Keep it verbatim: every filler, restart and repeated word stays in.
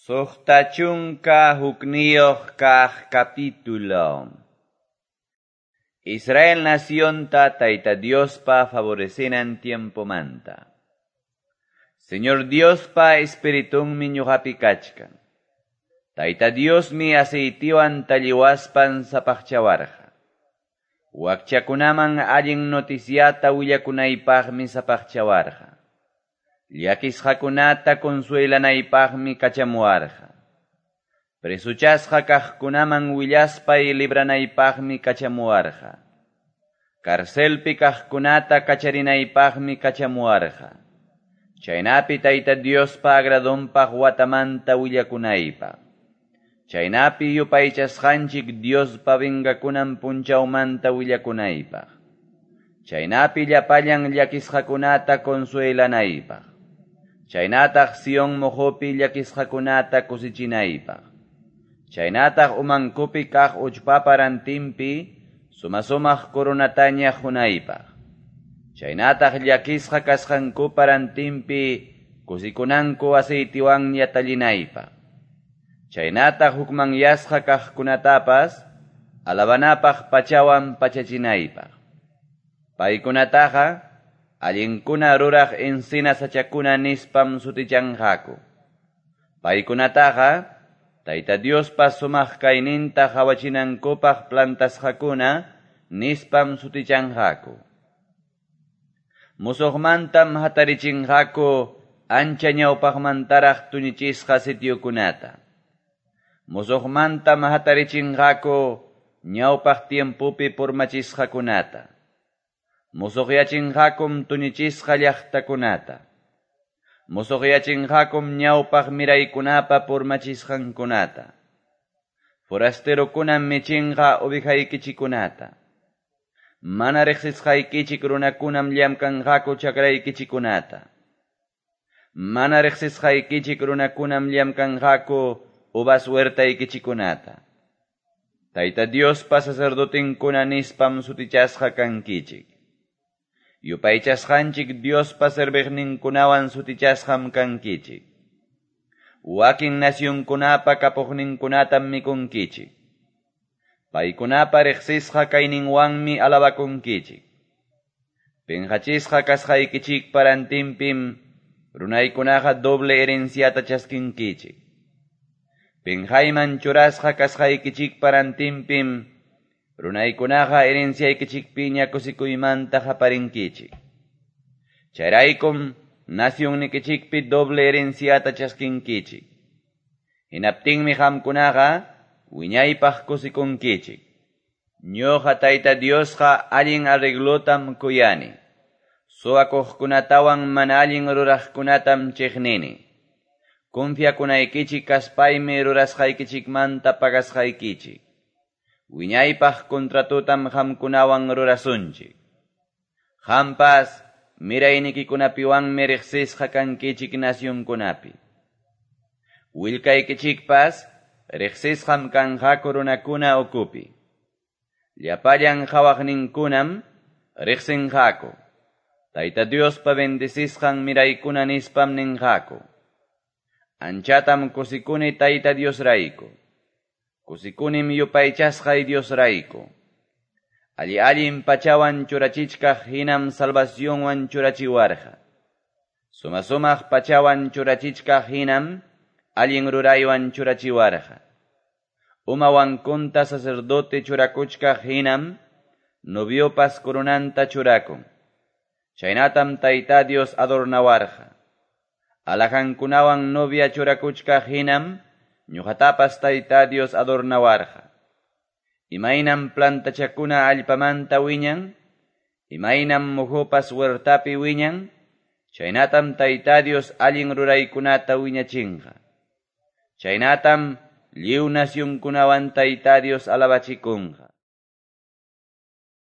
Suqta chunka hukniyuq kaq capítulo. Israel nacionta Tayta Diospa favorecenan tiempomanta. Señor Diospa espiritunmi ñuqapi kachkan. Tayta Diosmi aceitiwan talliwaspan sapaqchawarqa. Wakchakunaman allin noticiata willakunaypaqmi sapaqchawarqa. Llakisqakunata consuelanaypaqmi kachamuwarqa. Presuchasqa kaqkunaman willaspay libranaypaqmi kachamuwarqa. Carcelpi kaqkunata kacharinaypaqmi kachamuwarqa. Chaynapi Tayta Diospa agradonpaq watamanta willakunaypaq. Chaynapi yupaychasqanchik Diospa vengakunan punchawmanta willakunaypaq. Chaynapi llapallan llakisqakunata consuelanaypaq. Chaynataq Sion mojopi llakisqakunata kusichinaypaq. Chaynataq umankupi kaq uchpapa rantinpi suma-sumaq coronataña qunaypaq. Chaynataq llakisqa kasqankupa rantinpi kusikunanku aceitiwanña tallinaypaq. Chaynataq hukmanyasqa kaqkunatapas alabanapaq pachawan pachachinaypaq. Paykunataqa allinkuna ruraq encina sachakuna nispam sutichanqaku. Paykunataqa Tayta Diospa sumaq kayninta qawachinankupaq plantasqakuna nispam sutichanqaku. Musuqmantam hatarichinqaku ancha ñawpaqmantaraq tuñichisqa sitiokunata. Musuqmantam hatarichinqaku ñawpaq tiempopi purmachisqakunata. Musuqyachinqakum tuñichisqa llaqtakunata. Musuqyachinqakum ñawpaq miraykunapa purmachisqankunata. Forasterokunam michinqa ovejaykichikunata. Mana riqsisqaykichik runakunam llamkanqaku chakraykichikunata. Mana riqsisqaykichik runakunam llamkanqaku uvas huertaykichikunata. Tayta Diospa sacerdotinkuna nispam sutichasqa kankichik. Yupaychasqanchik Diospa serviqninkunawan sutichasqam kankichik. Wakin nacionkunapa kapuqninkunatam mikunkichik. Paykunapa riqsisqa kayninwanmi alabakunkichik. Pinqachisqa kasqaykichikpa rantinpim runaykunaqa doble herenciata chaskinkichik. Pinqayman churasqa kasqaykichikpa rantinpim runaykunaqa herenciaykichikpiña kusikuymanta qaparinkichik. Chayraykum nacionnikichikpi doble herenciata chaskinkichik. Hinaptinmi qamkunaqa wiñaypaq kusikunkichik. Ñuqa Tayta Diosqa allin arreglotam kuyani. Suwakuqkunatawan mana allin ruraqkunatam chiqnini. Confiakunaykichik kaspaymi rurasqaykichikmanta pagasqaykichik. Wiñaypaq contratotam qamkunawan rurasunchik. Qampas miraynikikunapiwanmi riqsisqa kankichik nacionkunapi. Willkaykichikpas riqsisqam kanqaku runakuna ukupi. Llapallan qhawaqninkunam riqsinqaku. Tayta Diospa bendecisqan miraykuna nispam ninqaku. Anchatam kusikuni Tayta Diosrayku. Kusikunim yupaychasqay Diosrayku. Alli allin pachawan churachichkaq hinam salvacionwan churachiwarqa. Suma-sumaq pachawan churachichkaq hinam allin ruraywan churachiwarqa. Umawankunta sacerdote churakuchkaq hinam noviopas coronanta churakun. Chaynatam Tayta Dios adornawarqa. Alajankunawan novia churakuchkaq hinam ñuqatapas Tayta Dios adornawarqa. Imaynam plantachakuna allpamanta wiñan, imaynam muhupas huertapi wiñan, chaynatam Tayta Dios allin ruraykunata wiñachinqa. Chaynatam lliw nacionkunawan Tayta Dios alabachikunqa.